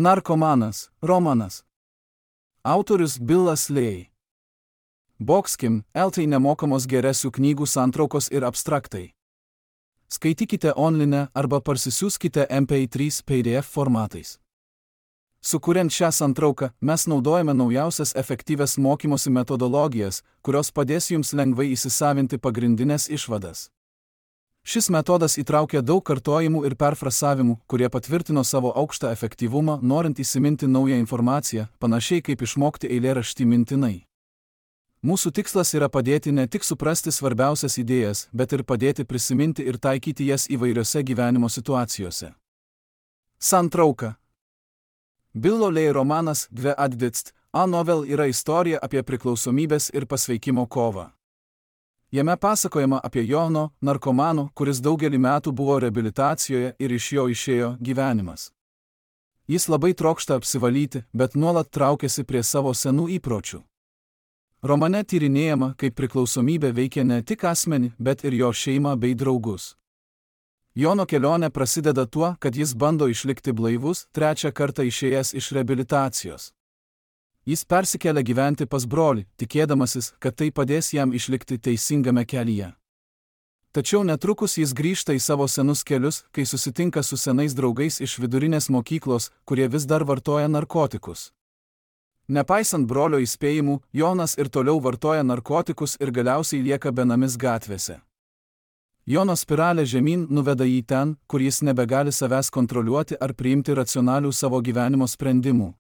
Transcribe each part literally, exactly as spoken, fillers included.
Narkomanas, romanas. Autorius Billas Ley. Boxkim, eltai nemokamos geresių knygų santraukos ir abstraktai. Skaitykite online arba parsisiųskite M P trys P D F formatais. Sukuriant šią santrauką, mes naudojame naujausias efektyvias mokymosi metodologijas, kurios padės jums lengvai įsisavinti pagrindinės išvadas. Šis metodas įtraukia daug kartojimų ir perfrasavimų, kurie patvirtino savo aukštą efektyvumą, norint įsiminti naują informaciją, panašiai kaip išmokti eilėraštį mintinai. Mūsų tikslas yra padėti ne tik suprasti svarbiausias idėjas, bet ir padėti prisiminti ir taikyti jas įvairiose gyvenimo situacijose. Santrauka. Billo Ley romanas Dve Advitst, A novel yra istorija apie priklausomybės ir pasveikimo kovą. Jame pasakojama apie Jono, narkomano, kuris daugelį metų buvo reabilitacijoje ir iš jo išėjo gyvenimas. Jis labai trokšta apsivalyti, bet nuolat traukiasi prie savo senų įpročių. Romane tyrinėjama, kaip priklausomybė veikia ne tik asmenį, bet ir jo šeimą bei draugus. Jono kelionė prasideda tuo, kad jis bando išlikti blaivus, trečią kartą išėjęs iš reabilitacijos. Jis persikelia gyventi pas brolį, tikėdamasis, kad tai padės jam išlikti teisingame kelyje. Tačiau netrukus jis grįžta į savo senus kelius, kai susitinka su senais draugais iš vidurinės mokyklos, kurie vis dar vartoja narkotikus. Nepaisant brolio įspėjimų, Jonas ir toliau vartoja narkotikus ir galiausiai lieka benamis gatvėse. Jono spiralė žemyn nuveda jį ten, kur jis nebegali savęs kontroliuoti ar priimti racionalių savo gyvenimo sprendimų.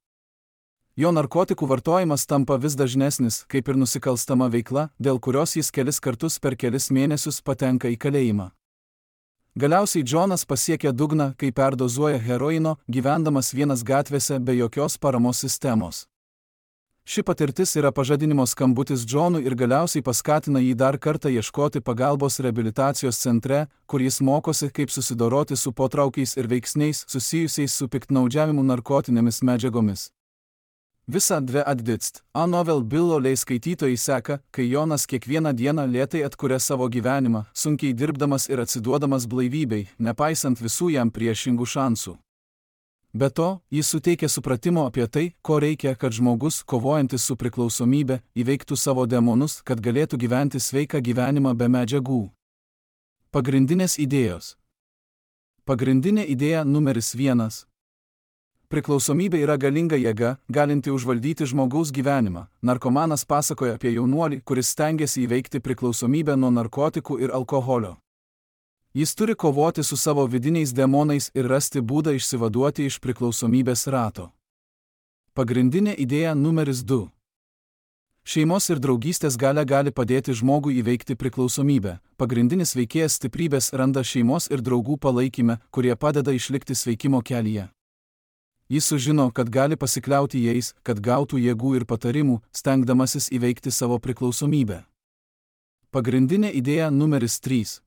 Jo narkotikų vartojimas tampa vis dažnesnis, kaip ir nusikalstama veikla, dėl kurios jis kelis kartus per kelis mėnesius patenka į kalėjimą. Galiausiai Džonas pasiekia dugną, kai perdozuoja heroino, gyvendamas vienas gatvėse be jokios paramos sistemos. Ši patirtis yra pažadinimo skambutis Džonui ir galiausiai paskatina jį dar kartą ieškoti pagalbos reabilitacijos centre, kur jis mokosi, kaip susidoroti su potraukiais ir veiksniais susijusiais su piktnaudžiavimu narkotinėmis medžiagomis. Visa Dve Advitst, A novel Billo Ley skaitytojai seka, kai Jonas kiekvieną dieną lėtai atkuria savo gyvenimą, sunkiai dirbdamas ir atsiduodamas blaivybei, nepaisant visų jam priešingų šansų. Be to, jis suteikia supratimo apie tai, ko reikia, kad žmogus, kovojantis su priklausomybė, įveiktų savo demonus, kad galėtų gyventi sveiką gyvenimą be medžiagų. Pagrindinės idėjos. Pagrindinė idėja numeris vienas. Priklausomybė yra galinga jėga, galinti užvaldyti žmogaus gyvenimą. Narkomanas pasakoja apie jaunuolį, kuris stengiasi įveikti priklausomybę nuo narkotikų ir alkoholio. Jis turi kovoti su savo vidiniais demonais ir rasti būdą išsivaduoti iš priklausomybės rato. Pagrindinė idėja numeris du. Šeimos ir draugystės galia gali padėti žmogui įveikti priklausomybę. Pagrindinis veikėjas stiprybės randa šeimos ir draugų palaikyme, kurie padeda išlikti sveikimo kelyje. Jis sužino, kad gali pasikliauti jais, kad gautų jėgų ir patarimų, stengdamasis įveikti savo priklausomybę. Pagrindinė idėja numeris trys.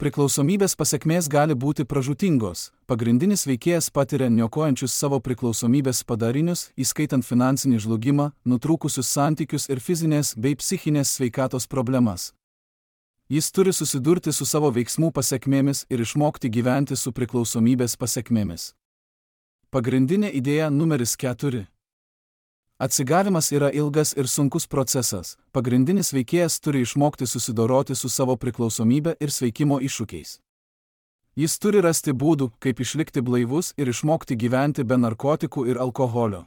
Priklausomybės pasekmės gali būti pražūtingos. Pagrindinis veikėjas patiria niokojančius savo priklausomybės padarinius, įskaitant finansinį žlugimą, nutrūkusius santykius ir fizinės bei psichinės sveikatos problemas. Jis turi susidurti su savo veiksmų pasekmėmis ir išmokti gyventi su priklausomybės pasekmėmis. Pagrindinė idėja numeris keturi. Atsigavimas yra ilgas ir sunkus procesas. Pagrindinis veikėjas turi išmokti susidoroti su savo priklausomybė ir sveikimo iššūkiais. Jis turi rasti būdų, kaip išlikti blaivus ir išmokti gyventi be narkotikų ir alkoholio.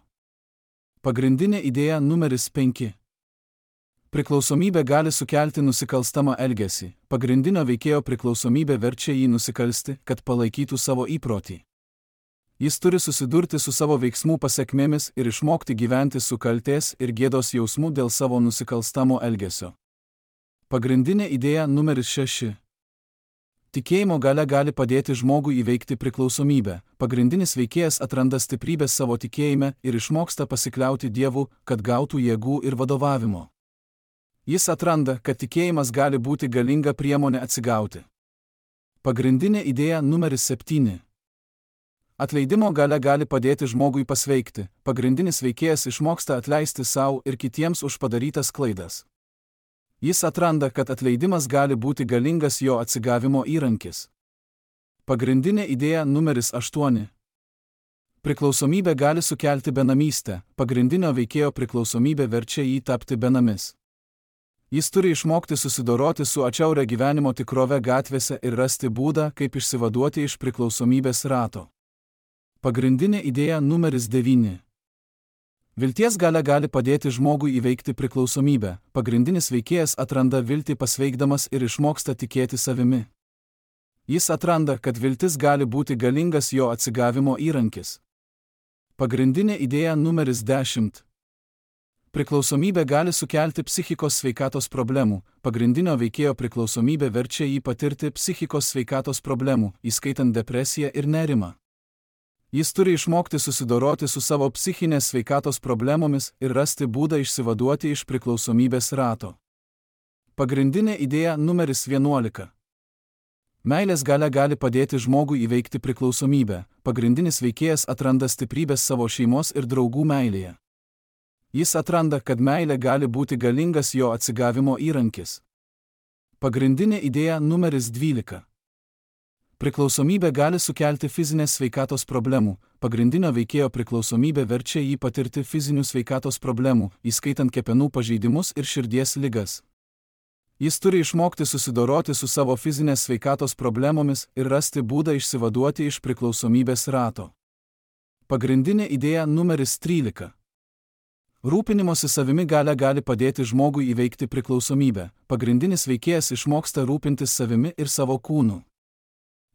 Pagrindinė idėja numeris penki. Priklausomybė gali sukelti nusikalstamą elgesį. Pagrindinio veikėjo priklausomybė verčia jį nusikalsti, kad palaikytų savo įprotį. Jis turi susidurti su savo veiksmų pasekmėmis ir išmokti gyventi su kaltės ir gėdos jausmu dėl savo nusikalstamo elgesio. Pagrindinė idėja numeris šeši. Tikėjimo galia gali padėti žmogui įveikti priklausomybę. Pagrindinis veikėjas atranda stiprybės savo tikėjime ir išmoksta pasikliauti Dievu, kad gautų jėgų ir vadovavimo. Jis atranda, kad tikėjimas gali būti galinga priemonė atsigauti. Pagrindinė idėja numeris septyni. Atleidimo galia gali padėti žmogui pasveikti. Pagrindinis veikėjas išmoksta atleisti savo ir kitiems už padarytas klaidas. Jis atranda, kad atleidimas gali būti galingas jo atsigavimo įrankis. Pagrindinė idėja numeris aštuoni. Priklausomybė gali sukelti benamystę, pagrindinio veikėjo priklausomybė verčia jį tapti benamis. Jis turi išmokti susidoroti su atšiauria gyvenimo tikrove gatvėse ir rasti būdą, kaip išsivaduoti iš priklausomybės rato. Pagrindinė idėja numeris devyni. Vilties galia gali padėti žmogui įveikti priklausomybę. Pagrindinis veikėjas atranda viltį pasveikdamas ir išmoksta tikėti savimi. Jis atranda, kad viltis gali būti galingas jo atsigavimo įrankis. Pagrindinė idėja numeris dešimt. Priklausomybė gali sukelti psichikos sveikatos problemų. Pagrindinio veikėjo priklausomybė verčia jį patirti psichikos sveikatos problemų, įskaitant depresiją ir nerimą. Jis turi išmokti susidoroti su savo psichinės sveikatos problemomis ir rasti būdą išsivaduoti iš priklausomybės rato. Pagrindinė idėja numeris vienuolika. Meilės galia gali padėti žmogui įveikti priklausomybę. Pagrindinis veikėjas atranda stiprybės savo šeimos ir draugų meilėje. Jis atranda, kad meilė gali būti galingas jo atsigavimo įrankis. Pagrindinė idėja numeris dvylika. Priklausomybė gali sukelti fizinės sveikatos problemų. Pagrindinio veikėjo priklausomybė verčia jį patirti fizinių sveikatos problemų, įskaitant kepenų pažeidimus ir širdies ligas. Jis turi išmokti susidoroti su savo fizinės sveikatos problemomis ir rasti būdą išsivaduoti iš priklausomybės rato. Pagrindinė idėja numeris trylika. Rūpinimosi savimi galia gali padėti žmogui įveikti priklausomybę. Pagrindinis veikėjas išmoksta rūpintis savimi ir savo kūnu.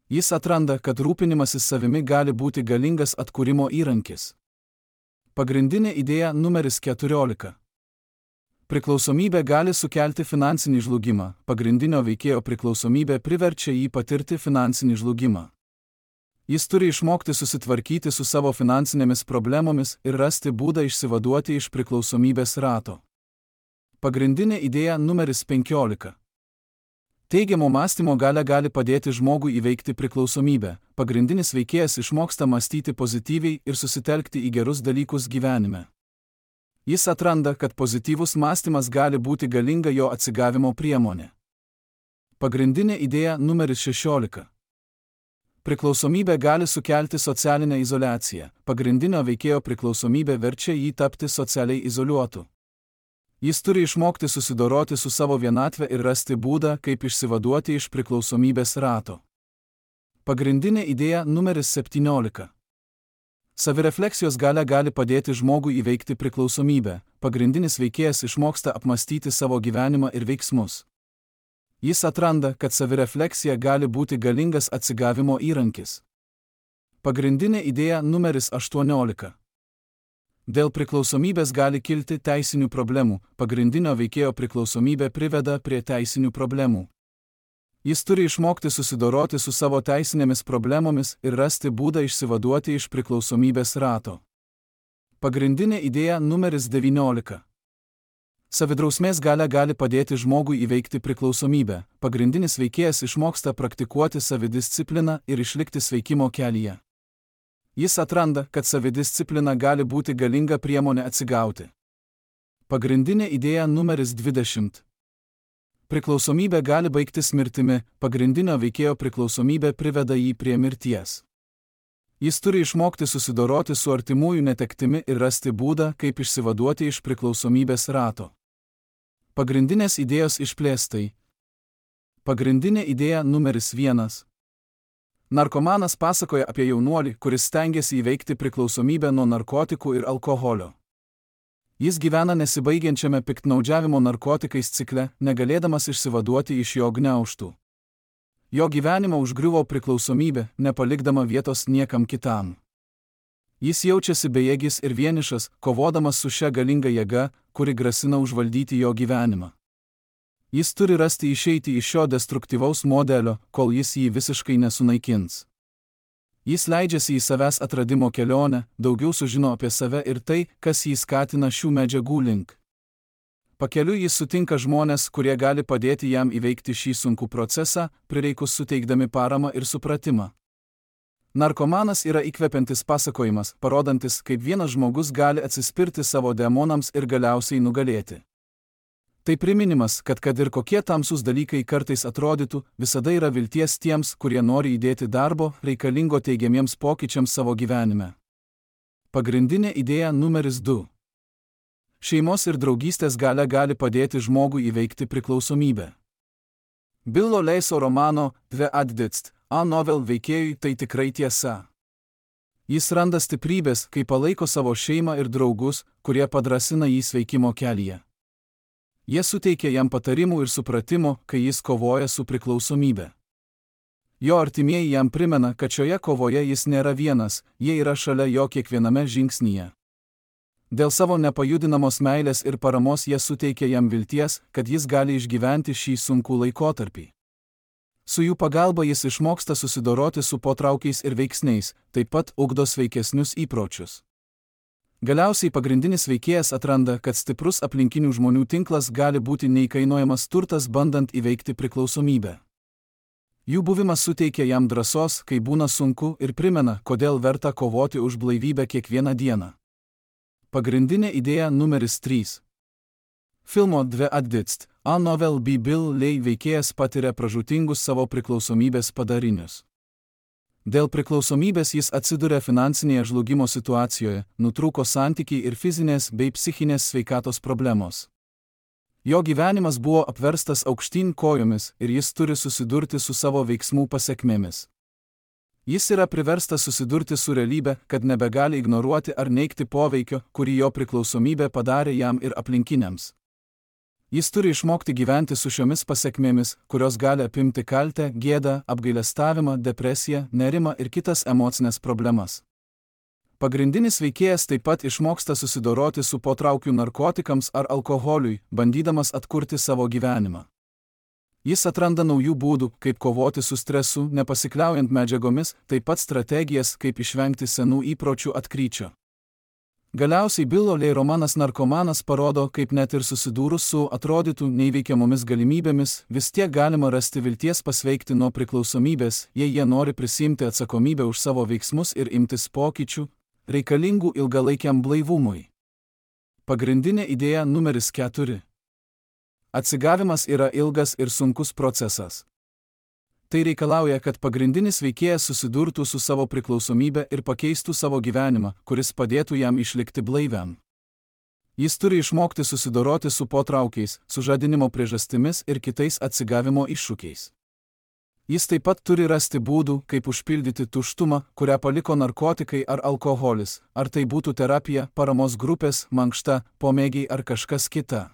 Jis atranda, kad rūpinimasis savimi gali būti galingas atkūrimo įrankis. Pagrindinė idėja numeris keturiolika. Priklausomybė gali sukelti finansinį žlugimą. Pagrindinio veikėjo priklausomybė priverčia jį patirti finansinį žlugimą. Jis turi išmokti susitvarkyti su savo finansinėmis problemomis ir rasti būdą išsivaduoti iš priklausomybės rato. Pagrindinė idėja numeris penkiolika. Teigiamo mąstymo galia gali padėti žmogui įveikti priklausomybę. Pagrindinis veikėjas išmoksta mąstyti pozityviai ir susitelkti į gerus dalykus gyvenime. Jis atranda, kad pozityvus mąstymas gali būti galinga jo atsigavimo priemonė. Pagrindinė idėja numeris šešiolika. Priklausomybė gali sukelti socialinę izoliaciją. Pagrindinio veikėjo priklausomybė verčia jį tapti socialiai izoliuotu. Jis turi išmokti susidoroti su savo vienatve ir rasti būdą, kaip išsivaduoti iš priklausomybės rato. Pagrindinė idėja numeris septyniolika. Savirefleksijos galia gali padėti žmogui įveikti priklausomybę. Pagrindinis veikėjas išmoksta apmastyti savo gyvenimą ir veiksmus. Jis atranda, kad savirefleksija gali būti galingas atsigavimo įrankis. Pagrindinė idėja numeris aštuoniolika. Dėl priklausomybės gali kilti teisinių problemų. Pagrindinio veikėjo priklausomybė priveda prie teisinių problemų. Jis turi išmokti susidoroti su savo teisinėmis problemomis ir rasti būdą išsivaduoti iš priklausomybės rato. Pagrindinė idėja numeris devyniolika. Savidrausmės galia gali padėti žmogui įveikti priklausomybę. Pagrindinis veikėjas išmoksta praktikuoti savidiscipliną ir išlikti sveikimo kelyje. Jis atranda, kad savidisciplina gali būti galinga priemonė atsigauti. Pagrindinė idėja numeris dvidešimt. Priklausomybė gali baigtis mirtimi. Pagrindinio veikėjo priklausomybė priveda jį prie mirties. Jis turi išmokti susidoroti su artimųjų netektimi ir rasti būdą, kaip išsivaduoti iš priklausomybės rato. Pagrindinės idėjos išplėstai. Pagrindinė idėja numeris vienas. Narkomanas pasakoja apie jaunuolį, kuris stengiasi įveikti priklausomybę nuo narkotikų ir alkoholio. Jis gyvena nesibaigiančiame piktnaudžiavimo narkotikais cikle, negalėdamas išsivaduoti iš jo gniaužtų. Jo gyvenimą užgriuvo priklausomybė, nepalikdama vietos niekam kitam. Jis jaučiasi bejėgis ir vienišas, kovodamas su šia galinga jėga, kuri grasina užvaldyti jo gyvenimą. Jis turi rasti išeitį iš šio destruktyvaus modelio, kol jis jį visiškai nesunaikins. Jis leidžiasi į savęs atradimo kelionę, daugiau sužino apie save ir tai, kas jį skatina šių medžiagų link. Pakeliui jis sutinka žmonės, kurie gali padėti jam įveikti šį sunkų procesą, prireikus suteikdami paramą ir supratimą. Narkomanas yra įkvepiantis pasakojimas, parodantis, kaip vienas žmogus gali atsispirti savo demonams ir galiausiai nugalėti. Tai priminimas, kad kad ir kokie tamsūs dalykai kartais atrodytų, visada yra vilties tiems, kurie nori įdėti darbo, reikalingo teigiamiems pokyčiams savo gyvenime. Pagrindinė idėja numeris du. Šeimos ir draugystės galia gali padėti žmogui įveikti priklausomybę. Billo Leiso romano Dve atditst A novel veikėjui tai tikrai tiesa. Jis randa stiprybės, kai palaiko savo šeimą ir draugus, kurie padrasina jį sveikimo kelyje. Jie suteikia jam patarimų ir supratimo, kai jis kovoja su priklausomybė. Jo artimieji jam primena, kad šioje kovoje jis nėra vienas, jie yra šalia jo kiekviename žingsnyje. Dėl savo nepajudinamos meilės ir paramos jie suteikia jam vilties, kad jis gali išgyventi šį sunkų laikotarpį. Su jų pagalba jis išmoksta susidoroti su potraukiais ir veiksniais, taip pat ugdo sveikesnius įpročius. Galiausiai pagrindinis veikėjas atranda, kad stiprus aplinkinių žmonių tinklas gali būti neįkainojamas turtas bandant įveikti priklausomybę. Jų buvimas suteikia jam drąsos, kai būna sunku, ir primena, kodėl verta kovoti už blaivybę kiekvieną dieną. Pagrindinė idėja numeris trys. Filmo Dve atditst A novel by Bill Lei veikėjas patiria pražūtingus savo priklausomybės padarinius. Dėl priklausomybės jis atsiduria finansinėje žlugimo situacijoje, nutrūko santykiai ir fizinės bei psichinės sveikatos problemos. Jo gyvenimas buvo apverstas aukštyn kojomis ir jis turi susidurti su savo veiksmų pasekmėmis. Jis yra priverstas susidurti su realybe, kad nebegali ignoruoti ar neigti poveikio, kurį jo priklausomybė padarė jam ir aplinkiniams. Jis turi išmokti gyventi su šiomis pasekmėmis, kurios gali apimti kaltę, gėdą, apgailestavimą, depresiją, nerimą ir kitas emocinės problemas. Pagrindinis veikėjas taip pat išmoksta susidoroti su potraukiu narkotikams ar alkoholiui, bandydamas atkurti savo gyvenimą. Jis atranda naujų būdų, kaip kovoti su stresu, nepasikliaujant medžiagomis, taip pat strategijas, kaip išvengti senų įpročių atkryčio. Galiausiai Billo Lei romanas Narkomanas parodo, kaip net ir susidūrus su atrodytų neįveikiamomis galimybėmis, vis tiek galima rasti vilties pasveikti nuo priklausomybės, jei jie nori prisiimti atsakomybę už savo veiksmus ir imtis pokyčių, reikalingų ilgalaikiam blaivumui. Pagrindinė idėja numeris keturi. Atsigavimas yra ilgas ir sunkus procesas. Tai reikalauja, kad pagrindinis veikėjas susidurtų su savo priklausomybė ir pakeistų savo gyvenimą, kuris padėtų jam išlikti blaiviam. Jis turi išmokti susidoroti su potraukiais, sužadinimo priežastimis ir kitais atsigavimo iššūkiais. Jis taip pat turi rasti būdų, kaip užpildyti tuštumą, kurią paliko narkotikai ar alkoholis, ar tai būtų terapija, paramos grupės, mankšta, pomėgiai ar kažkas kita.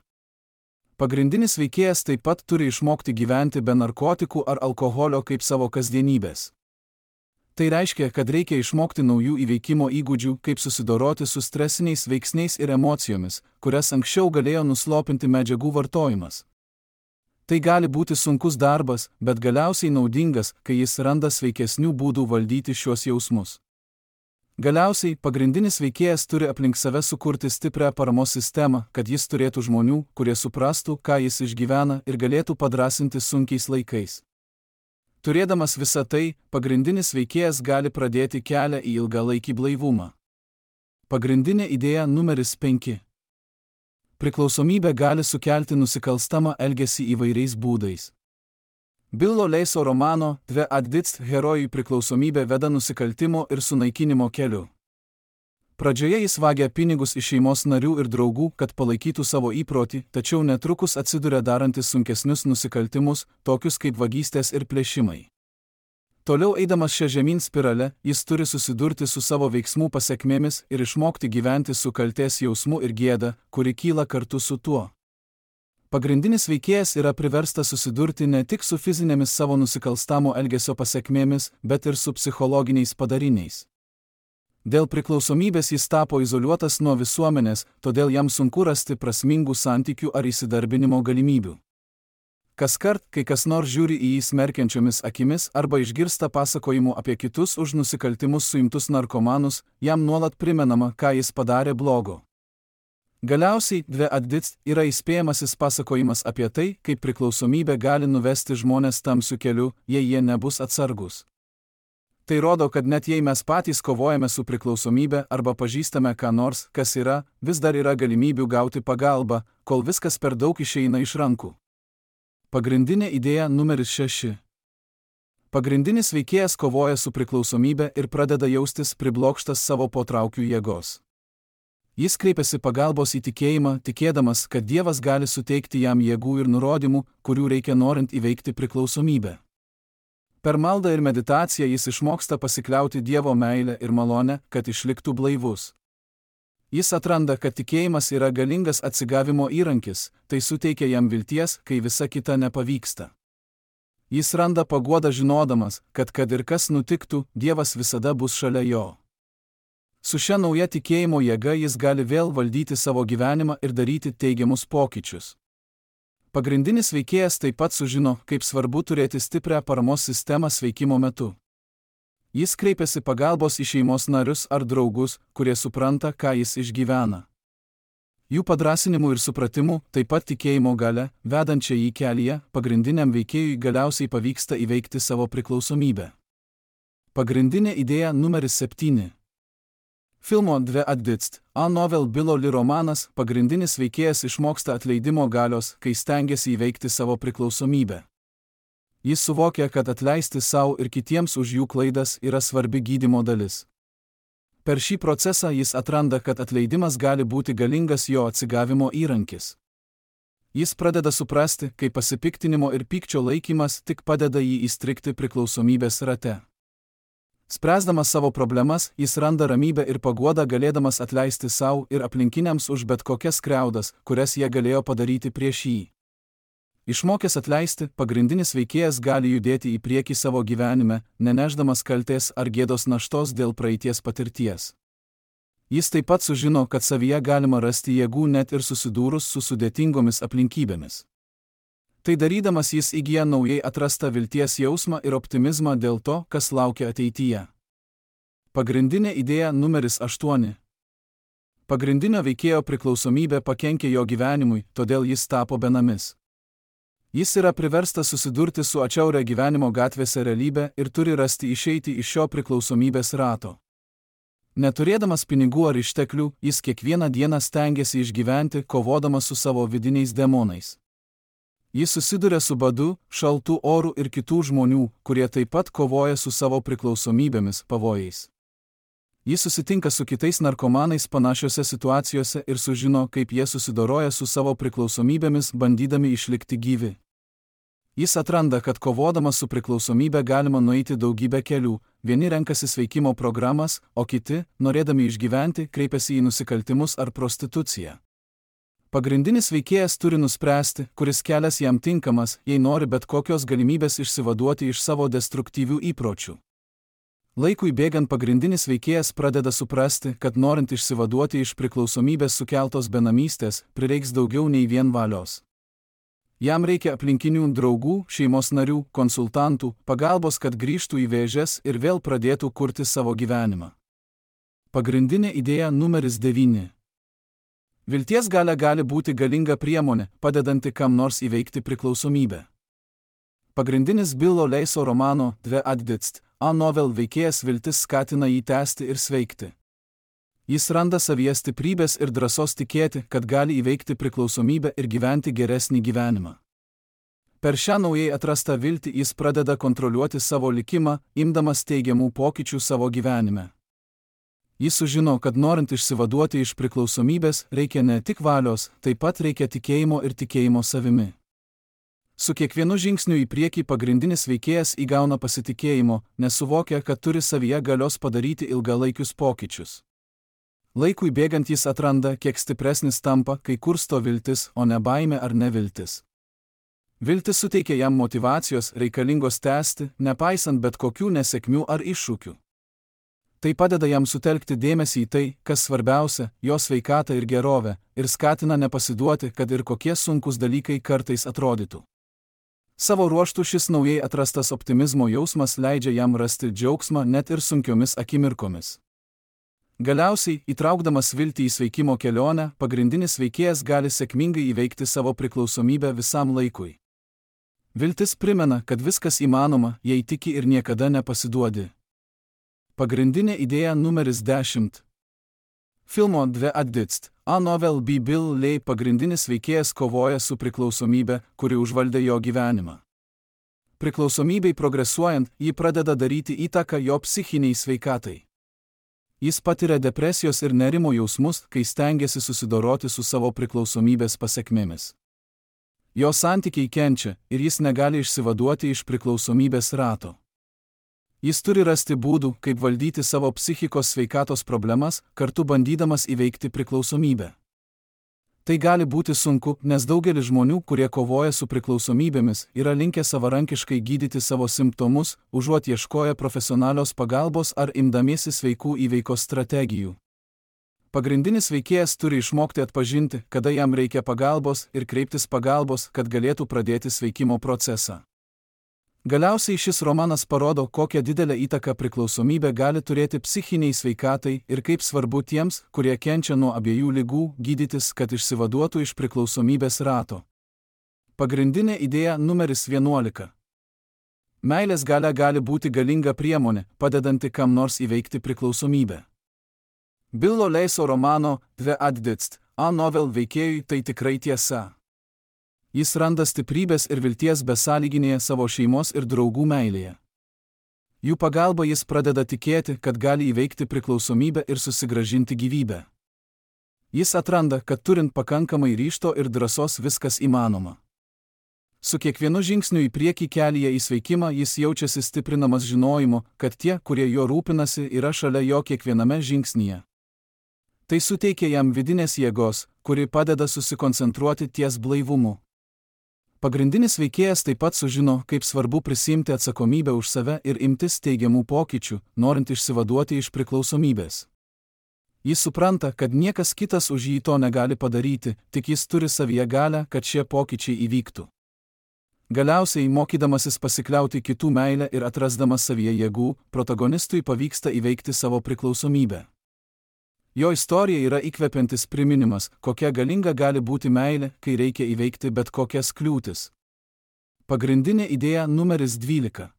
Pagrindinis veikėjas taip pat turi išmokti gyventi be narkotikų ar alkoholio kaip savo kasdienybės. Tai reiškia, kad reikia išmokti naujų įveikimo įgūdžių, kaip susidoroti su stresiniais veiksniais ir emocijomis, kurias anksčiau galėjo nuslopinti medžiagų vartojimas. Tai gali būti sunkus darbas, bet galiausiai naudingas, kai jis randa sveikesnių būdų valdyti šios jausmus. Galiausiai, pagrindinis veikėjas turi aplink save sukurti stiprią paramos sistemą, kad jis turėtų žmonių, kurie suprastų, ką jis išgyvena ir galėtų padrasinti sunkiais laikais. Turėdamas visą tai, pagrindinis veikėjas gali pradėti kelią į ilgalaikį blaivumą. Pagrindinė idėja numeris penki. Priklausomybė gali sukelti nusikalstamą elgesį įvairiais būdais. Billo Leiso romano Dve atditst herojui priklausomybė veda nusikaltimo ir sunaikinimo keliu. Pradžioje jis vagia pinigus iš šeimos narių ir draugų, kad palaikytų savo įprotį, tačiau netrukus atsiduria darantis sunkesnius nusikaltimus, tokius kaip vagystės ir plėšimai. Toliau eidamas šią žemyn spiralę, jis turi susidurti su savo veiksmų pasekmėmis ir išmokti gyventi su kaltės jausmu ir gėda, kuri kyla kartu su tuo. Pagrindinis veikėjas yra priverstas susidurti ne tik su fizinėmis savo nusikalstamo elgesio pasekmėmis, bet ir su psichologiniais padariniais. Dėl priklausomybės jis tapo izoliuotas nuo visuomenės, todėl jam sunku rasti prasmingų santykių ar įsidarbinimo galimybių. Kaskart, kai kas nors žiūri į jį smerkiančiomis akimis arba išgirsta pasakojimų apie kitus už nusikaltimus suimtus narkomanus, jam nuolat primenama, ką jis padarė blogo. Galiausiai, Dve atditst yra įspėjamasis pasakojimas apie tai, kaip priklausomybė gali nuvesti žmonės tamsiu keliu, jei jie nebus atsargus. Tai rodo, kad net jei mes patys kovojame su priklausomybė arba pažįstame ką nors, kas yra, vis dar yra galimybių gauti pagalbą, kol viskas per daug išeina iš rankų. Pagrindinė idėja numeris šeši. Pagrindinis veikėjas kovoja su priklausomybe ir pradeda jaustis priblokštas savo potraukių jėgos. Jis kreipiasi pagalbos į tikėjimą, tikėdamas, kad Dievas gali suteikti jam jėgų ir nurodymų, kurių reikia norint įveikti priklausomybę. Per maldą ir meditaciją jis išmoksta pasikliauti Dievo meilę ir malonę, kad išliktų blaivus. Jis atranda, kad tikėjimas yra galingas atsigavimo įrankis, tai suteikia jam vilties, kai visa kita nepavyksta. Jis randa paguodą žinodamas, kad kad ir kas nutiktų, Dievas visada bus šalia jo. Su šia nauja tikėjimo jėga jis gali vėl valdyti savo gyvenimą ir daryti teigiamus pokyčius. Pagrindinis veikėjas taip pat sužino, kaip svarbu turėti stiprią paramos sistemą sveikimo metu. Jis kreipiasi pagalbos į šeimos narius ar draugus, kurie supranta, ką jis išgyvena. Jų padrąsinimu ir supratimu, taip pat tikėjimo galia, vedančia jį kelyje, pagrindiniam veikėjui galiausiai pavyksta įveikti savo priklausomybę. Pagrindinė idėja numeris septyni. Filmo Dve atditst, A novel Bilo Li romanas, pagrindinis veikėjas išmoksta atleidimo galios, kai stengiasi įveikti savo priklausomybę. Jis suvokia, kad atleisti savo ir kitiems už jų klaidas yra svarbi gydymo dalis. Per šį procesą jis atranda, kad atleidimas gali būti galingas jo atsigavimo įrankis. Jis pradeda suprasti, kaip pasipiktinimo ir pykčio laikymas tik padeda jį įstrigti priklausomybės rate. Spręsdamas savo problemas, jis randa ramybę ir paguodą galėdamas atleisti savo ir aplinkiniams už bet kokias skriaudas, kurias jie galėjo padaryti prieš jį. Išmokęs atleisti, pagrindinis veikėjas gali judėti į priekį savo gyvenime, nenešdamas kaltės ar gėdos naštos dėl praeities patirties. Jis taip pat sužino, kad savyje galima rasti jėgų net ir susidūrus su sudėtingomis aplinkybėmis. Tai darydamas jis įgyja naujai atrastą vilties jausmą ir optimizmą dėl to, kas laukia ateityje. Pagrindinė idėja numeris aštuoni. Pagrindinio veikėjo priklausomybė pakenkė jo gyvenimui, todėl jis tapo benamis. Jis yra priverstas susidurti su atšiauria gyvenimo gatvėse realybė ir turi rasti išeiti iš šio priklausomybės rato. Neturėdamas pinigų ar išteklių, jis kiekvieną dieną stengiasi išgyventi, kovodamas su savo vidiniais demonais. Jis susiduria su badu, šaltu oru ir kitų žmonių, kurie taip pat kovoja su savo priklausomybėmis, pavojais. Jis susitinka su kitais narkomanais panašiose situacijose ir sužino, kaip jie susidoroja su savo priklausomybėmis, bandydami išlikti gyvi. Jis atranda, kad kovodamas su priklausomybė galima nueiti daugybę kelių, vieni renkasi sveikimo programas, o kiti, norėdami išgyventi, kreipiasi į nusikaltimus ar prostituciją. Pagrindinis veikėjas turi nuspręsti, kuris kelias jam tinkamas, jei nori bet kokios galimybės išsivaduoti iš savo destruktyvių įpročių. Laikui bėgant pagrindinis veikėjas pradeda suprasti, kad norint išsivaduoti iš priklausomybės sukeltos benamystės, prireiks daugiau nei vien valios. Jam reikia aplinkinių draugų, šeimos narių, konsultantų, pagalbos, kad grįžtų į vėžes ir vėl pradėtų kurti savo gyvenimą. Pagrindinė idėja numeris devyni. Vilties galia gali būti galinga priemonė, padedanti kam nors įveikti priklausomybę. Pagrindinis Bilo Leiso romano Dve atditst, A novel veikėjas viltis skatina jį tęsti ir sveikti. Jis randa savyje stiprybės ir drąsos tikėti, kad gali įveikti priklausomybę ir gyventi geresnį gyvenimą. Per šią naujai atrastą viltį jis pradeda kontroliuoti savo likimą, imdamas teigiamų pokyčių savo gyvenime. Jis sužino, kad norint išsivaduoti iš priklausomybės, reikia ne tik valios, taip pat reikia tikėjimo ir tikėjimo savimi. Su kiekvienu žingsniu į priekį pagrindinis veikėjas įgauna pasitikėjimo, nes suvokia, kad turi savyje galios padaryti ilgalaikius pokyčius. Laikui bėgant jis atranda, kiek stipresnis tampa, kai kursto viltis, o ne baimė ar neviltis. Viltis suteikia jam motyvacijos, reikalingos tęsti, nepaisant bet kokių nesėkmių ar iššūkių. Tai padeda jam sutelkti dėmesį į tai, kas svarbiausia, jo sveikatą ir gerovę, ir skatina nepasiduoti, kad ir kokie sunkus dalykai kartais atrodytų. Savo ruožtu šis naujai atrastas optimizmo jausmas leidžia jam rasti džiaugsmą net ir sunkiomis akimirkomis. Galiausiai, įtraukdamas viltį į sveikimo kelionę, pagrindinis veikėjas gali sėkmingai įveikti savo priklausomybę visam laikui. Viltis primena, kad viskas įmanoma, jei tiki ir niekada nepasiduodi. Pagrindinė idėja numeris dešimt. Filmo Dve atditst, A novel by Bill Lei pagrindinis veikėjas kovoja su priklausomybė, kuri užvaldė jo gyvenimą. Priklausomybei progresuojant, ji pradeda daryti įtaką jo psichiniai sveikatai. Jis patiria depresijos ir nerimo jausmus, kai stengiasi susidoroti su savo priklausomybės pasekmėmis. Jo santykiai kenčia ir jis negali išsivaduoti iš priklausomybės rato. Jis turi rasti būdų, kaip valdyti savo psichikos sveikatos problemas, kartu bandydamas įveikti priklausomybę. Tai gali būti sunku, nes daugelis žmonių, kurie kovoja su priklausomybėmis, yra linkę savarankiškai gydyti savo simptomus, užuot ieškoję profesionalios pagalbos ar imdamiesi sveikų įveikos strategijų. Pagrindinis veikėjas turi išmokti atpažinti, kada jam reikia pagalbos ir kreiptis pagalbos, kad galėtų pradėti sveikimo procesą. Galiausiai šis romanas parodo, kokią didelę įtaką priklausomybė gali turėti psichiniai sveikatai ir kaip svarbu tiems, kurie kenčia nuo abiejų ligų, gydytis, kad išsivaduotų iš priklausomybės rato. Pagrindinė idėja numeris vienuolika. Meilės galia gali būti galinga priemonė, padedanti kam nors įveikti priklausomybę. Billo Leiso romano The Addicts, A Novel veikėjui tai tikrai tiesa. Jis randa stiprybės ir vilties besąlyginėje savo šeimos ir draugų meilėje. Jų pagalba jis pradeda tikėti, kad gali įveikti priklausomybę ir susigrąžinti gyvybę. Jis atranda, kad turint pakankamai ryžto ir drąsos viskas įmanoma. Su kiekvienu žingsniu į priekį kelyje į sveikimą jis jaučiasi stiprinamas žinojimu, kad tie, kurie jo rūpinasi, yra šalia jo kiekviename žingsnyje. Tai suteikia jam vidinės jėgos, kuri padeda susikoncentruoti ties blaivumu. Pagrindinis veikėjas taip pat sužino, kaip svarbu prisiimti atsakomybę už save ir imtis teigiamų pokyčių, norint išsivaduoti iš priklausomybės. Jis supranta, kad niekas kitas už jį to negali padaryti, tik jis turi savyje galią, kad šie pokyčiai įvyktų. Galiausiai, mokydamasis pasikliauti kitų meilę ir atrasdamas savyje jėgų, protagonistui pavyksta įveikti savo priklausomybę. Jo istorija yra įkvepiantis priminimas, kokia galinga gali būti meilė, kai reikia įveikti bet kokias kliūtis. Pagrindinė idėja numeris dvylika.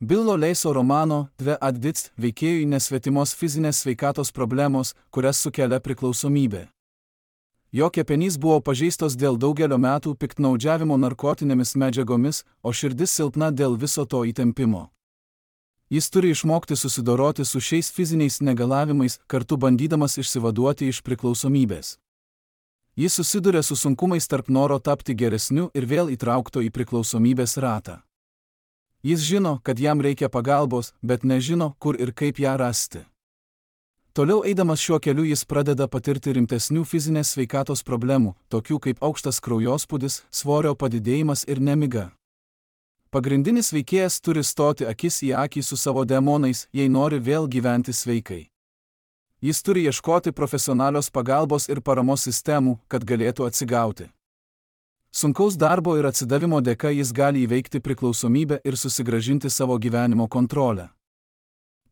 Billo Leiso romano The Addicts veikėjui nesvetimos fizinės sveikatos problemos, kurias sukelia priklausomybė. Jo kepenys buvo pažeistos dėl daugelio metų piktnaudžiavimo narkotinėmis medžiagomis, o širdis silpna dėl viso to įtempimo. Jis turi išmokti susidoroti su šiais fiziniais negalavimais, kartu bandydamas išsivaduoti iš priklausomybės. Jis susiduria su sunkumais tarp noro tapti geresniu ir vėl įtraukto į priklausomybės ratą. Jis žino, kad jam reikia pagalbos, bet nežino, kur ir kaip ją rasti. Toliau eidamas šiuo keliu jis pradeda patirti rimtesnių fizinės sveikatos problemų, tokių kaip aukštas kraujospūdis, svorio padidėjimas ir nemiga. Pagrindinis veikėjas turi stoti akis į akį su savo demonais, jei nori vėl gyventi sveikai. Jis turi ieškoti profesionalios pagalbos ir paramos sistemų, kad galėtų atsigauti. Sunkaus darbo ir atsidavimo dėka jis gali įveikti priklausomybę ir susigrąžinti savo gyvenimo kontrolę.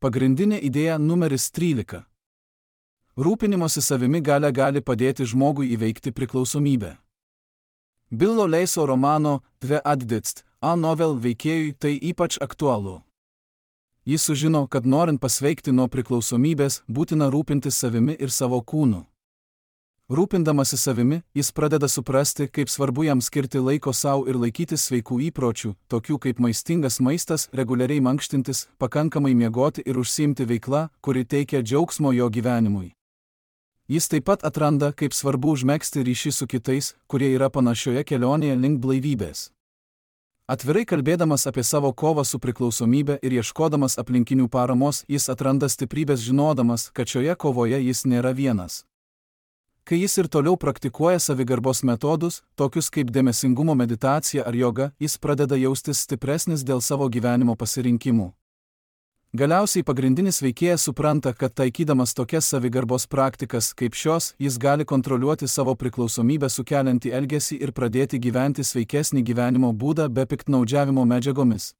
Pagrindinė idėja numeris trylika. Rūpinimosi savimi galia gali padėti žmogui įveikti priklausomybę. Billo Leiso romano The Addicts, A Novel veikėjui tai ypač aktualu. Jis sužino, kad norint pasveikti nuo priklausomybės, būtina rūpintis savimi ir savo kūnu. Rūpindamasi savimi, jis pradeda suprasti, kaip svarbu jam skirti laiko savo ir laikytis sveikų įpročių, tokių kaip maistingas maistas, reguliariai mankštintis, pakankamai miegoti ir užsiimti veikla, kuri teikia džiaugsmo jo gyvenimui. Jis taip pat atranda, kaip svarbu užmegzti ryšį su kitais, kurie yra panašioje kelionėje link blaivybės. Atvirai kalbėdamas apie savo kovą su priklausomybė ir ieškodamas aplinkinių paramos, jis atranda stiprybės žinodamas, kad šioje kovoje jis nėra vienas. Kai jis ir toliau praktikuoja savigarbos metodus, tokius kaip dėmesingumo meditacija ar joga, jis pradeda jaustis stipresnis dėl savo gyvenimo pasirinkimų. Galiausiai pagrindinis veikėjas supranta, kad taikydamas tokias savigarbos praktikas kaip šios, jis gali kontroliuoti savo priklausomybę sukeliantį elgesį ir pradėti gyventi sveikesnį gyvenimo būdą be piktnaudžiavimo medžiagomis.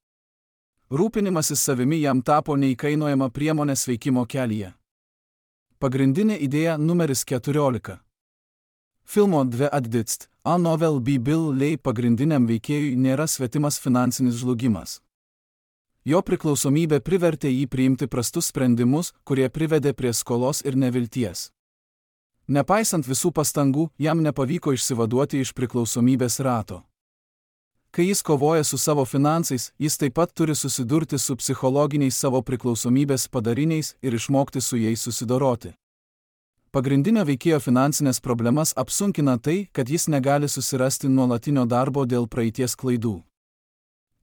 Rūpinimasis savimi jam tapo neįkainojama priemonė sveikimo kelyje. Pagrindinė idėja numeris keturiolika. Filmo The Addicts, A Novel by Bill Lei pagrindiniam veikėjui nėra svetimas finansinis žlugimas. Jo priklausomybė privertė jį priimti prastus sprendimus, kurie privedė prie skolos ir nevilties. Nepaisant visų pastangų, jam nepavyko išsivaduoti iš priklausomybės rato. Kai jis kovoja su savo finansais, jis taip pat turi susidurti su psichologiniais savo priklausomybės padariniais ir išmokti su jais susidoroti. Pagrindinio veikėjo finansinės problemas apsunkina tai, kad jis negali susirasti nuolatinio darbo dėl praeities klaidų.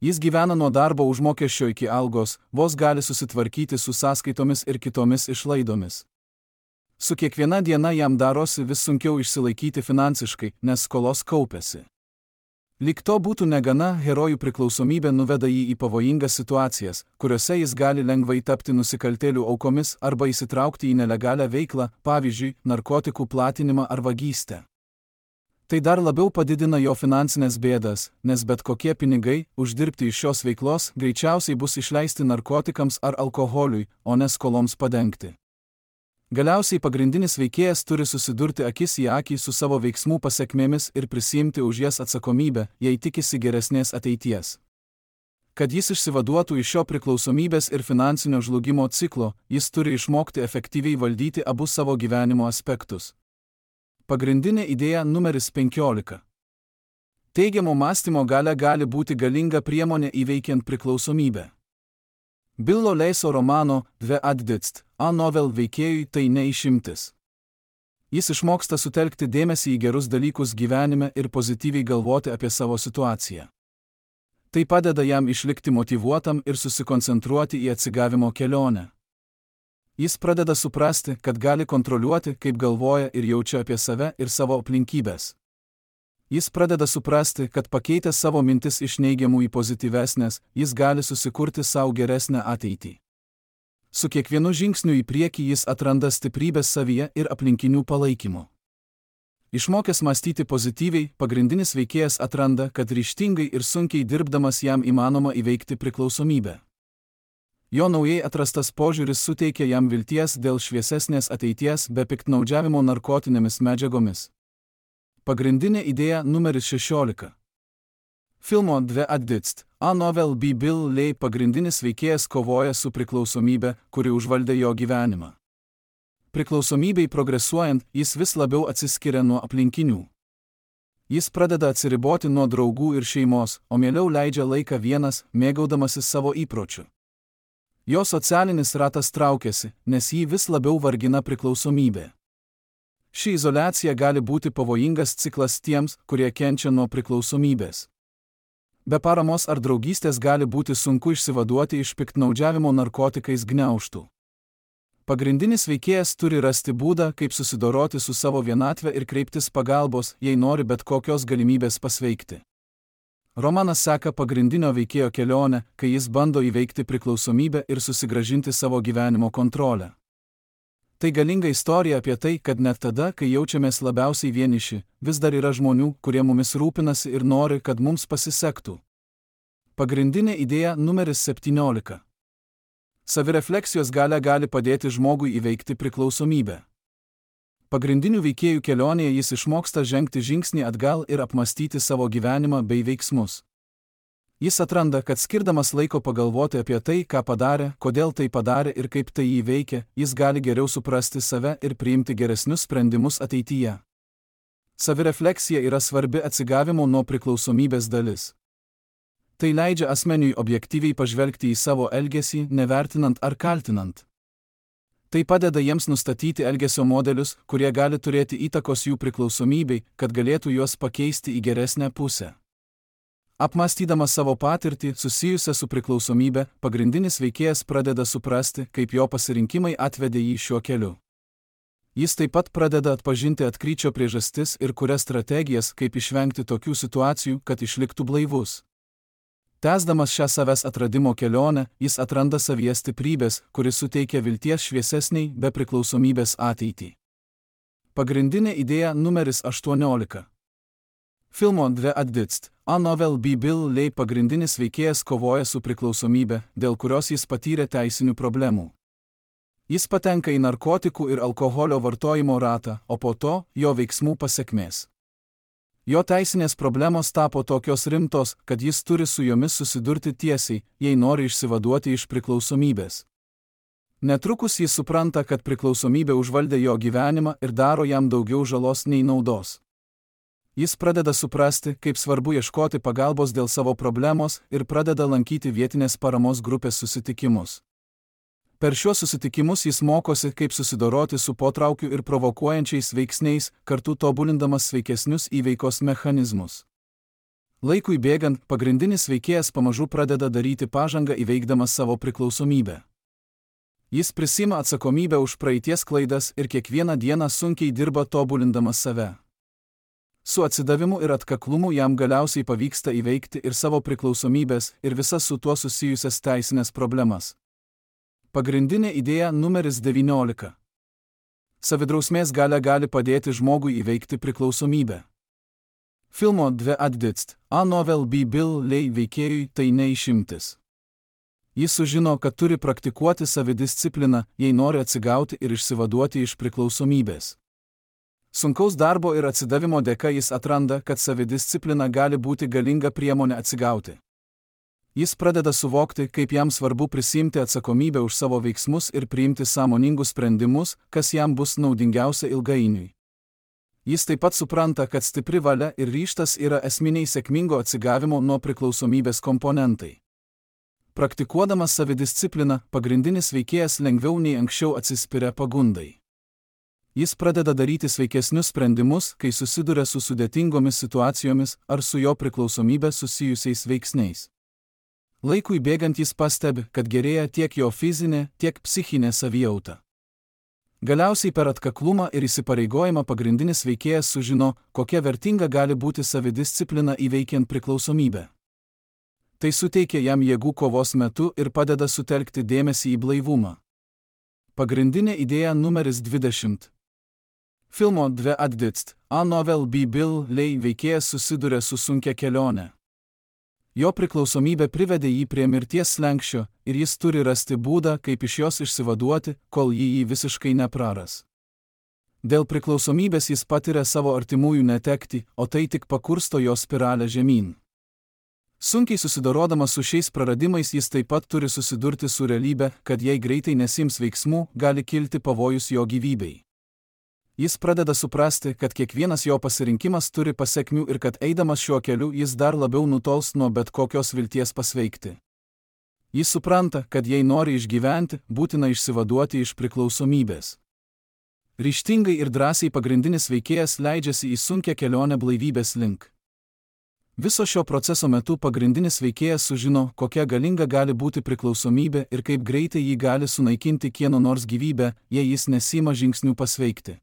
Jis gyvena nuo darbo užmokesčio iki algos, vos gali susitvarkyti su sąskaitomis ir kitomis išlaidomis. Su kiekviena diena jam darosi vis sunkiau išsilaikyti finansiškai, nes skolos kaupiasi. Lyg to būtų negana, herojų priklausomybė nuveda jį į pavojingas situacijas, kuriuose jis gali lengvai tapti nusikaltėlių aukomis arba įsitraukti į nelegalią veiklą, pavyzdžiui, narkotikų platinimą ar vagystę. Tai dar labiau padidina jo finansinės bėdas, nes bet kokie pinigai, uždirbti iš šios veiklos, greičiausiai bus išleisti narkotikams ar alkoholiui, o ne skoloms padengti. Galiausiai pagrindinis veikėjas turi susidurti akis į akį su savo veiksmų pasekmėmis ir prisiimti už jas atsakomybę, jei tikisi geresnės ateities. Kad jis išsivaduotų iš šio priklausomybės ir finansinio žlugimo ciklo, jis turi išmokti efektyviai valdyti abu savo gyvenimo aspektus. Pagrindinė idėja numeris penkiolika. Teigiamo mąstymo galia gali būti galinga priemonė įveikiant priklausomybę. Billo Leiso romano The Addicts, A Novel veikėjui tai ne išimtis. Jis išmoksta sutelkti dėmesį į gerus dalykus gyvenime ir pozityviai galvoti apie savo situaciją. Tai padeda jam išlikti motyvuotam ir susikoncentruoti į atsigavimo kelionę. Jis pradeda suprasti, kad gali kontroliuoti, kaip galvoja ir jaučia apie save ir savo aplinkybės. Jis pradeda suprasti, kad pakeitęs savo mintis iš neigiamų į pozityvesnės, jis gali susikurti savo geresnę ateitį. Su kiekvienu žingsniu į priekį jis atranda stiprybės savyje ir aplinkinių palaikymo. Išmokęs mąstyti pozityviai, pagrindinis veikėjas atranda, kad ryžtingai ir sunkiai dirbdamas jam įmanoma įveikti priklausomybę. Jo naujai atrastas požiūris suteikia jam vilties dėl šviesesnės ateities be piktnaudžiavimo narkotinėmis medžiagomis. Pagrindinė idėja numeris šešiolika. Filmo The Addicts, A Novel by Bill Lay pagrindinis veikėjas kovoja su priklausomybė, kuri užvaldė jo gyvenimą. Priklausomybei progresuojant, jis vis labiau atsiskiria nuo aplinkinių. Jis pradeda atsiriboti nuo draugų ir šeimos, o mieliau leidžia laiką vienas, mėgaudamasis savo įpročiu. Jo socialinis ratas traukiasi, nes jį vis labiau vargina priklausomybė. Ši izoliacija gali būti pavojingas ciklas tiems, kurie kenčia nuo priklausomybės. Be paramos ar draugystės gali būti sunku išsivaduoti iš piktnaudžiavimo narkotikais gniaužtų. Pagrindinis veikėjas turi rasti būdą, kaip susidoroti su savo vienatve ir kreiptis pagalbos, jei nori bet kokios galimybės pasveikti. Romanas seka pagrindinio veikėjo kelionę, kai jis bando įveikti priklausomybę ir susigrąžinti savo gyvenimo kontrolę. Tai galinga istorija apie tai, kad net tada, kai jaučiamės labiausiai vieniši, vis dar yra žmonių, kurie mumis rūpinasi ir nori, kad mums pasisektų. Pagrindinė idėja numeris septyniolika. Savirefleksijos galia gali padėti žmogui įveikti priklausomybę. Pagrindinių veikėjų kelionėje jis išmoksta žengti žingsnį atgal ir apmastyti savo gyvenimą bei veiksmus. Jis atranda, kad skirdamas laiko pagalvoti apie tai, ką padarė, kodėl tai padarė ir kaip tai įveikia, jis gali geriau suprasti save ir priimti geresnius sprendimus ateityje. Savirefleksija yra svarbi atsigavimo nuo priklausomybės dalis. Tai leidžia asmeniui objektyviai pažvelgti į savo elgesį, nevertinant ar kaltinant. Tai padeda jiems nustatyti elgesio modelius, kurie gali turėti įtakos jų priklausomybei, kad galėtų juos pakeisti į geresnę pusę. Apmąstydamas savo patirtį susijusią su priklausomybė, pagrindinis veikėjas pradeda suprasti, kaip jo pasirinkimai atvedė jį šiuo keliu. Jis taip pat pradeda atpažinti atkryčio priežastis ir kuria strategijas, kaip išvengti tokių situacijų, kad išliktų blaivus. Tęsdamas šią savęs atradimo kelionę, jis atranda savyje stiprybės, kuris suteikia vilties šviesesniai, be priklausomybės ateitį. Pagrindinė idėja numeris aštuoniolika. Filmo The Addicts, A Novel by Bill Lay pagrindinis veikėjas kovoja su priklausomybė, dėl kurios jis patyrė teisinių problemų. Jis patenka į narkotikų ir alkoholio vartojimo ratą, o po to jo veiksmų pasekmės. Jo teisinės problemos tapo tokios rimtos, kad jis turi su jomis susidurti tiesiai, jei nori išsivaduoti iš priklausomybės. Netrukus jis supranta, kad priklausomybė užvaldė jo gyvenimą ir daro jam daugiau žalos nei naudos. Jis pradeda suprasti, kaip svarbu ieškoti pagalbos dėl savo problemos ir pradeda lankyti vietinės paramos grupės susitikimus. Per šiuos susitikimus jis mokosi, kaip susidoroti su potraukiu ir provokuojančiais veiksniais, kartu tobulindamas sveikesnius įveikos mechanizmus. Laikui bėgant, pagrindinis veikėjas pamažu pradeda daryti pažangą įveikdamas savo priklausomybę. Jis prisima atsakomybę už praeities klaidas ir kiekvieną dieną sunkiai dirba tobulindamas save. Su atsidavimu ir atkaklumu jam galiausiai pavyksta įveikti ir savo priklausomybės ir visas su tuo susijusias teisinės problemas. Pagrindinė idėja numeris devyniolika. Savidrausmės galia gali padėti žmogui įveikti priklausomybę. Filmo Dve atditst, a novel be Bill Lay veikėjui tai ne išimtis. Jis sužino, kad turi praktikuoti savidiscipliną, jei nori atsigauti ir išsivaduoti iš priklausomybės. Sunkaus darbo ir atsidavimo dėka jis atranda, kad savidisciplina gali būti galinga priemonė atsigauti. Jis pradeda suvokti, kaip jam svarbu prisimti atsakomybę už savo veiksmus ir priimti sąmoningus sprendimus, kas jam bus naudingiausia ilgainiui. Jis taip pat supranta, kad stipri valia ir ryžtas yra esminiai sėkmingo atsigavimo nuo priklausomybės komponentai. Praktikuodamas savidiscipliną, pagrindinis veikėjas lengviau nei anksčiau atsispiria pagundai. Jis pradeda daryti sveikesnius sprendimus, kai susiduria su sudėtingomis situacijomis ar su jo priklausomybė susijusiais veiksniais. Laikui bėgant jis pastebi, kad gerėja tiek jo fizinė, tiek psichinė savijauta. Galiausiai per atkaklumą ir įsipareigojimą pagrindinis veikėjas sužino, kokia vertinga gali būti savidisciplina įveikiant priklausomybę. Tai suteikia jam jėgų kovos metu ir padeda sutelkti dėmesį į blaivumą. Pagrindinė idėja numeris dvidešimt. Filmo Dve atditst, a novel be Bill Lay veikėjas susiduria su sunkia kelionė. Jo priklausomybė privedė jį prie mirties slenksčio ir jis turi rasti būdą, kaip iš jos išsivaduoti, kol jį jį visiškai nepraras. Dėl priklausomybės jis patiria savo artimųjų netekti, o tai tik pakursto jo spiralę žemyn. Sunkiai susidorodamas su šiais praradimais jis taip pat turi susidurti su realybe, kad jei greitai nesims veiksmų, gali kilti pavojus jo gyvybei. Jis pradeda suprasti, kad kiekvienas jo pasirinkimas turi pasekmių ir kad eidamas šiuo keliu jis dar labiau nutols nuo bet kokios vilties pasveikti. Jis supranta, kad jei nori išgyventi, būtina išsivaduoti iš priklausomybės. Ryžtingai ir drąsiai pagrindinis veikėjas leidžiasi į sunkią kelionę blaivybės link. Viso šio proceso metu pagrindinis veikėjas sužino, kokia galinga gali būti priklausomybė ir kaip greitai jį gali sunaikinti kieno nors gyvybę, jei jis nesima žingsnių pasveikti.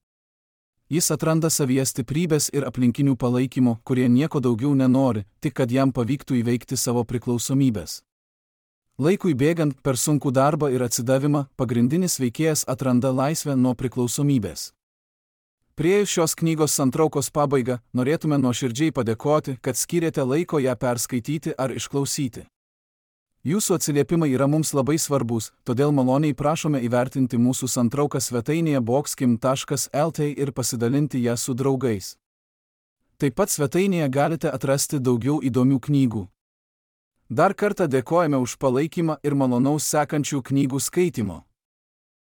Jis atranda savyje stiprybės ir aplinkinių palaikymo, kurie nieko daugiau nenori, tik kad jam pavyktų įveikti savo priklausomybės. Laikui bėgant per sunkų darbą ir atsidavimą, pagrindinis veikėjas atranda laisvę nuo priklausomybės. Priėjus šios knygos santraukos pabaigą, norėtume nuoširdžiai padėkoti, kad skyrėte laiko ją perskaityti ar išklausyti. Jūsų atsiliepimai yra mums labai svarbus, todėl maloniai prašome įvertinti mūsų santrauką svetainėje boxkim taškas lt ir pasidalinti ją su draugais. Taip pat svetainėje galite atrasti daugiau įdomių knygų. Dar kartą dėkojame už palaikymą ir malonaus sekančių knygų skaitimo.